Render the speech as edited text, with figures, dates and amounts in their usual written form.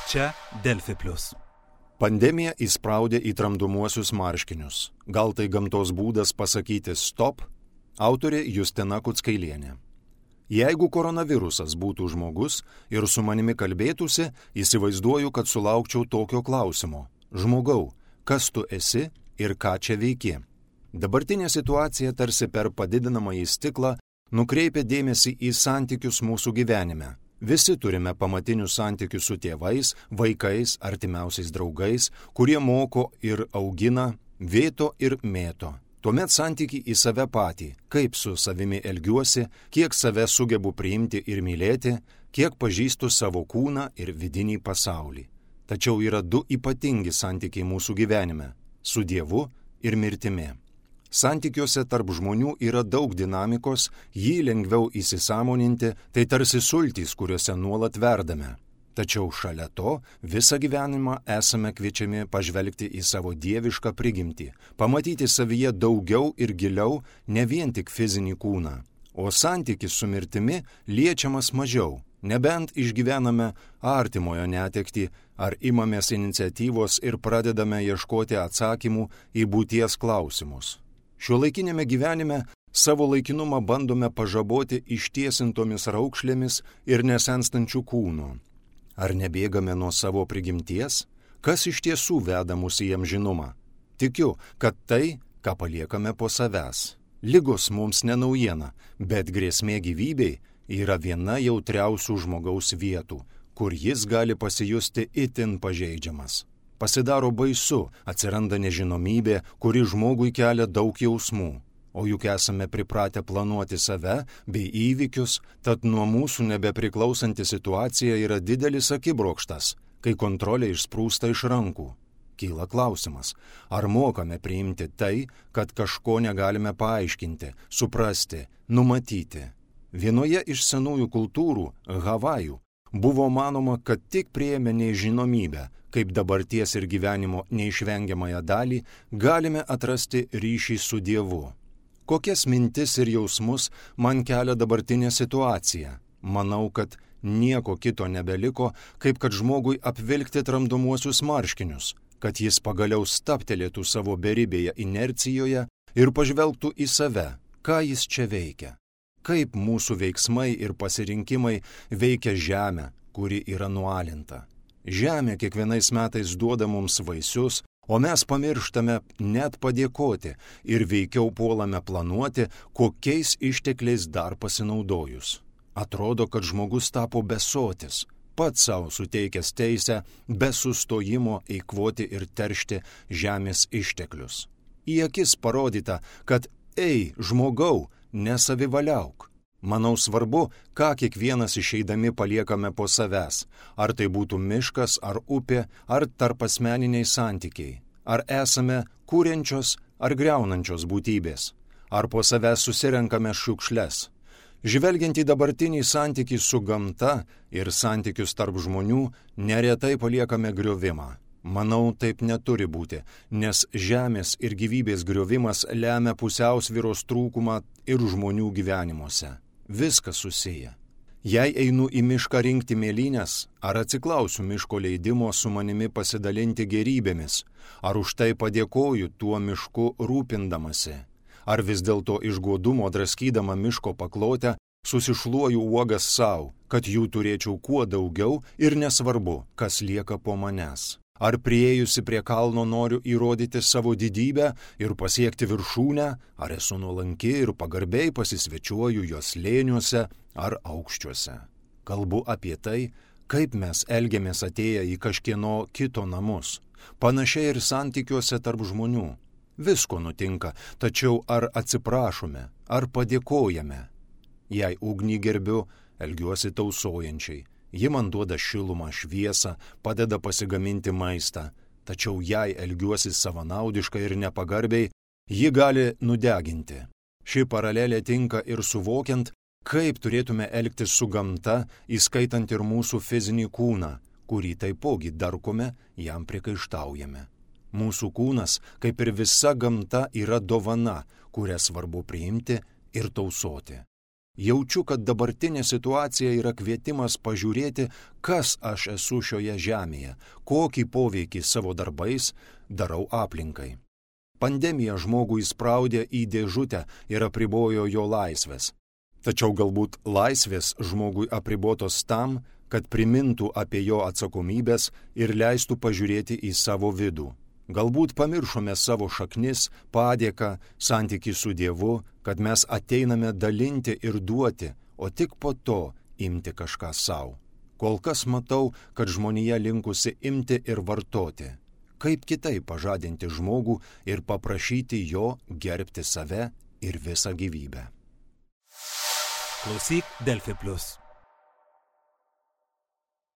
Čia Delfi Plius. Pandemija įspraudė į tramdomuosius marškinius. Gal tai gamtos būdas pasakyti stop? Autorė Justina Kuckailienė. Jeigu koronavirusas būtų žmogus ir su manimi kalbėtųsi, įsivaizduoju, kad sulaukčiau tokio klausimo. Žmogau, kas tu esi ir ką čia veiki? Dabartinė situacija tarsi per padidinamąjį stiklą nukreipia dėmesį į santykius mūsų gyvenime. Visi turime pamatinius santykius su tėvais, vaikais, artimiausiais draugais, kurie moko ir augina, vėto ir mėto. Tuomet santykiai į save patį, kaip su savimi elgiuosi, kiek save sugebu priimti ir mylėti, kiek pažįstu savo kūną ir vidinį pasaulį. Tačiau yra du ypatingi santykiai mūsų gyvenime - su Dievu ir mirtimi. Santykiuose tarp žmonių yra daug dinamikos, jį lengviau įsisąmoninti, tai tarsi sultys, kuriuose nuolat verdame. Tačiau šalia to visą gyvenimą esame kviečiami pažvelgti į savo dievišką prigimtį, pamatyti savyje daugiau ir giliau, ne vien tik fizinį kūną. O santykis su mirtimi liečiamas mažiau, nebent išgyvename artimojo netektį ar imamės iniciatyvos ir pradedame ieškoti atsakymų į būties klausimus. Šiuolaikinėme gyvenime savo laikinumą bandome pažaboti ištiesintomis raukšlėmis ir nesenstančių kūnų. Ar nebėgame nuo savo prigimties? Kas iš tiesų veda mus į amžinumą? Tikiu, kad tai, ką paliekame po savęs. Ligos mums ne naujiena, bet grėsmė gyvybei yra viena jautriausių žmogaus vietų, kur jis gali pasijusti itin pažeidžiamas. Pasidaro baisu, atsiranda nežinomybė, kuri žmogui kelia daug jausmų. O juk esame pripratę planuoti save bei įvykius, tad nuo mūsų nebepriklausanti situacija yra didelis akibrokštas, kai kontrolė išsprūsta iš rankų. Kyla klausimas, ar mokame priimti tai, kad kažko negalime paaiškinti, suprasti, numatyti. Vienoje iš senųjų kultūrų, Havajų, buvo manoma, kad tik priėmę nežinomybę, kaip dabarties ir gyvenimo neišvengiamąją dalį, galime atrasti ryšį su Dievu. Kokias mintis ir jausmus man kelia dabartinė situacija? Manau, kad nieko kito nebeliko, kaip kad žmogui apvilkti tramdomuosius marškinius, kad jis pagaliau stabtelėtų savo beribėje inercijoje ir pažvelgtų į save, ką jis čia veikia. Kaip mūsų veiksmai ir pasirinkimai veikia žemę, kuri yra nualinta. Žemė kiekvienais metais duoda mums vaisius, o mes pamirštame net padėkoti ir veikiau puolame planuoti, kokiais ištekliais dar pasinaudojus. Atrodo, kad žmogus tapo besotis, pats savo suteikęs teisę be sustojimo eikvoti ir teršti žemės išteklius. Į akis parodyta, kad ei, žmogau, nesavivaliauk. Manau svarbu, ką kiekvienas išeidami paliekame po savęs, ar tai būtų miškas, ar upė, ar tarpasmeniniai santykiai, ar esame kuriančios ar griaunančios būtybės, ar po savęs susirenkame šiukšles. Žvelgiant į dabartinį santykį su gamta ir santykius tarp žmonių, neretai paliekame griovimą. Manau, taip neturi būti, nes žemės ir gyvybės griovimas lemia pusiausvyros trūkumą ir žmonių gyvenimuose. Viskas susiję. Jei einu į mišką rinkti mėlynes, ar atsiklausiu miško leidimo su manimi pasidalinti gėrybėmis, ar už tai padėkoju tuo mišku rūpindamasi, ar vis dėlto iš godumo draskydama miško paklotę susišluoju uogas savo, kad jų turėčiau kuo daugiau ir nesvarbu, kas lieka po manęs. Ar priėjusi prie kalno noriu įrodyti savo didybę ir pasiekti viršūnę, ar esu nuolanki ir pagarbiai pasisvečiuoju jos slėniuose ar aukščiuose. Kalbu apie tai, kaip mes elgiamės atėję į kažkieno kito namus. Panašiai ir santykiuose tarp žmonių. Visko nutinka, tačiau ar atsiprašome, ar padėkojame. Jei ugnį gerbiu, elgiuosi tausojančiai. Ji man duoda šilumą, šviesą, padeda pasigaminti maistą, tačiau jei elgiuosi savanaudiškai ir nepagarbiai, ji gali nudeginti. Ši paralelė tinka ir suvokiant, kaip turėtume elgtis su gamta, įskaitant ir mūsų fizinį kūną, kurį taipogi darkome, jam priekaištaujame. Mūsų kūnas, kaip ir visa gamta, yra dovana, kurią svarbu priimti ir tausoti. Jaučiu, kad dabartinė situacija yra kvietimas pažiūrėti, kas aš esu šioje žemėje, kokį poveikį savo darbais darau aplinkai. Pandemija žmogų įspraudė į dėžutę ir apribojo jo laisvės. Tačiau galbūt laisvės žmogui apribotos tam, kad primintų apie jo atsakomybės ir leistų pažiūrėti į savo vidų. Galbūt pamiršome savo šaknis, padėką, santykį su Dievu, kad mes ateiname dalinti ir duoti, o tik po to imti kažką savo. Kol kas matau, kad žmonija linkusi imti ir vartoti. Kaip kitaip pažadinti žmogų ir paprašyti jo gerbti save ir visą gyvybę. Klausyk Delfi Plus.